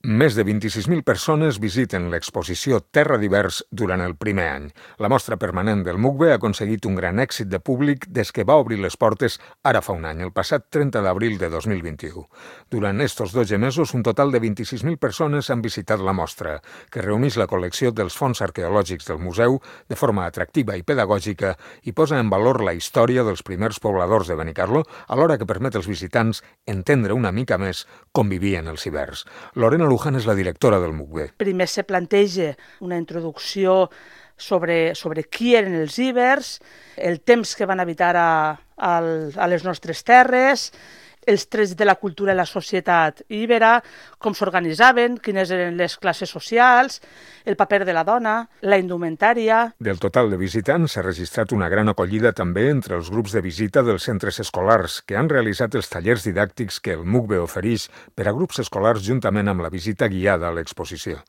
Més de 26.000 persones visiten l'exposició Terra d'Hivers durant el primer any. La mostra permanent del MUCBE ha aconseguit un gran èxit de públic des que va obrir les portes ara fa un any, el passat 30 d'abril de 2021. Durant estos 12 mesos, un total de 26.000 persones han visitat la mostra, que reuneix la col·lecció dels fons arqueològics del museu de forma atractiva i pedagògica i posa en valor la història dels primers pobladors de Benicarló, alhora que permet als visitants entendre una mica més com vivien els hiverns. Lorena Luján és la directora del MUCBE. Primer se planteja una introducció sobre qui eren els ibers, el temps que van habitar a les nostres terres, els trets de la cultura i la societat íbera, com s'organitzaven, quines eren les classes socials, el paper de la dona, la indumentària. Del total de visitants s'ha registrat una gran acollida també entre els grups de visita dels centres escolars, que han realitzat els tallers didàctics que el MUCBE ofereix per a grups escolars juntament amb la visita guiada a l'exposició.